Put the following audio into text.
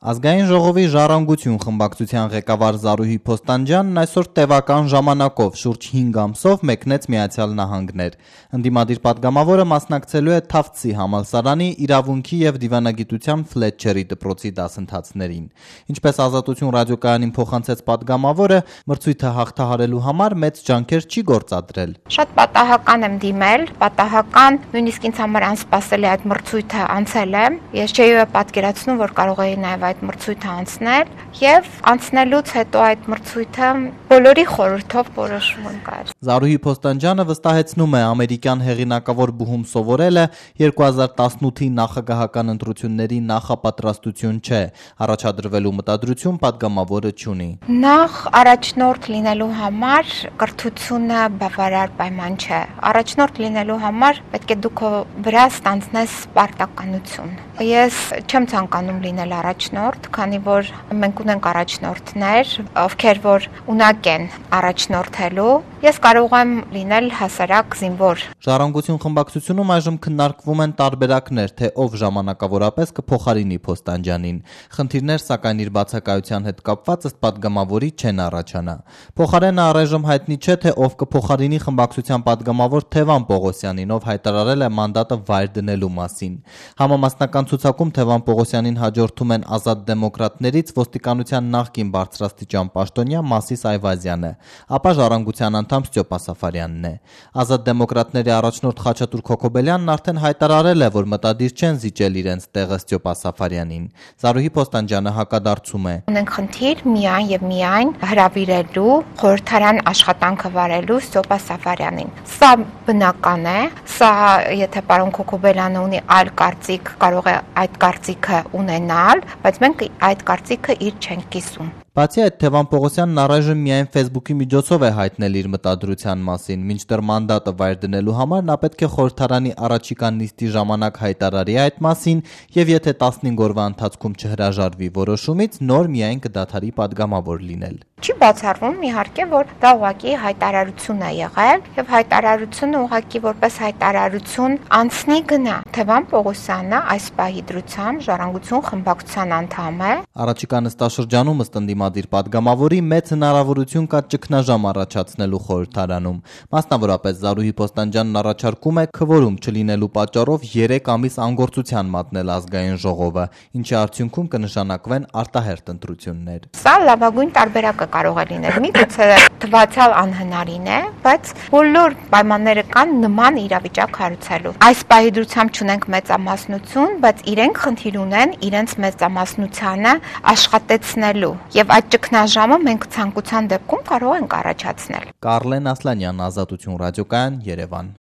Ազգային ժողովի «Ժառանգություն» խմբակցության ղեկավար Զարուհի Փոստանջյանն այսօր տևական ժամանակով շուրջ 5 ամսով մեկնեց Միացյալ Նահանգներ։ Ընդդիմադիր պատգամավորը մասնակցելու է Թավցի համալսարանի իրավունքի և դիվանագիտության Ֆլետչերի դպրոցի դասընթացներին։ Ինչպես Ազատություն ռադիոկայանին փոխանցեց պատգամավորը, մրցույթը հաղթահարելու համար մեծ ջանքեր չի գործադրել։ Շատ պատահական եմ դիմել, պատահական, նույնիսկ ինձ համար անսպասելի այդ մրցույթը անցել եմ։ Ես չէի պատկերացնում, որ կարող էի նաև այդ մրցույթը անցնել եւ անցնելուց հետո այդ մրցույթը բոլորի խորհրդով որոշվում կար։ Զարուհի Փոստանջյանը վստահեցնում է, ամերիկյան հեղինակավոր բուհում սովորելը 2018-ի նախագահական ընտրությունների նախապատրաստություն չէ, առաջադրվելու մտադրություն պատգամավորը չունի։ Նախ առաջնորդ լինելու համար կրթությունը բավարար պայման չէ։ Առաջնորդ լինելու համար պետք է դու քո վրա ստանձնես պարտականություն։ Ես չեմ ցանկանում լինել առաջնորդ, քանի որ մենք ունենք առաջնորդներ, ովքեր որ ունակ են առաջնորդելու, ես կարող եմ լինել հասարակ զինվոր։ Ժառանգություն խմբակցությունում այժմ քննարկվում են տարբերակներ, թե ով ժամանակավորապես կփոխարինի Փոստանջյանին։ Խնդիրներ, սակայն իր բացակայության հետ կապված ըստ պատգամավորի չեն առաջանա։ Փոխարենը առայժմ հայտնի չէ, թե ով կփոխարինի խմբակցության պատգամավոր Թևան Պողոսյանին, ով հայտարարել է մանդատը վայր դնելու մասին։ Համամասնական ցուցակում Թևան Պողոսյանին հաջորդում են Ազատ դեմոկրատներից ոստիկանության նախկին բարձրաստիճան պաշտոնյա Մասիս Այվազյանը, ապա Ժառանգության անդամ Ստյոպա Սաֆարյանն է։ Ազատ դեմոկրատների առաջնորդ Խաչատուր Քոքոբելյանն արդեն հայտարարել է, որ մտադիր չեն զիջել իրենց տեղը Ստյոպա Սաֆարյանին։ Զարուհի Փոստանջյանը հակադարձում է. Ունենք խնդիր միայն եւ միայն հրավիրելու խորհրդարան աշխատանքը վարելու Ստյոպա Սաֆարյանին։ Սա բնական է, սա եթե պարոն Քոքոբելյանը ունի այլ կարծիք, կարող է այդ կարծիքը ունենալ, բայց մենք այդ կարծիքը իր չենք կիսում։ Բացի այդ, Թևան Պողոսյանն առայժմ միայն Facebook-ի միջոցով է հայտնել իր մտադրության մասին, մինչդեռ մանդատը վայր դնելու համար նա պետք է խորհրդարանի առաջիկա նիստի ժամանակ հայտարարի այդ մասին եւ եթե 15 օրվա ընթացքում չհրաժարվի որոշումից, նոր միայն կդադարի պատգամավոր լինել։ Չի բացառվում իհարկե, որ դա ուղղակի հայտարարություն է եղել եւ հայտարարությունը ուղղակի որպես հայտարարություն անցնի գնա։ Թևան Պողոսյանը այս պահի դրությամբ Ժառանգություն խմբակցության անդամ է։ Առաջիկա նստաշրջանում ըստ ընդդիմադիր պատգամավորի մեծ հնարավորություն կա ճգնաժամ առաջացնելու խորհրդարանում։ Մասնավորապես Զարուհի Փոստանջյանն առաջարկում է քվորում չլինելու պատճառով 3 ամիս անգործության մատնել ազգային ժողովը, ինչի արդյունքում կնշանակվեն արտահերթ ընտրություններ։ Սա լավագույն տարբերակը կարող է լինել։ Միգուցե թվացյալ անհնարին է, բայց բոլոր պայմանները կան նման իրավիճակ հարուցելու։ Այս պահի դրությամբ չունենք մեծամասնություն, բայց իրենք խնդիր ունեն իրենց մեծամասնությանը աշխատեցնելու եւ այդ ճգնաժամը մենք ցանկության դեպքում կարող ենք առաջացնել։ Կարլեն Ասլանյան, Ազատություն ռադիոկայան, Երևան։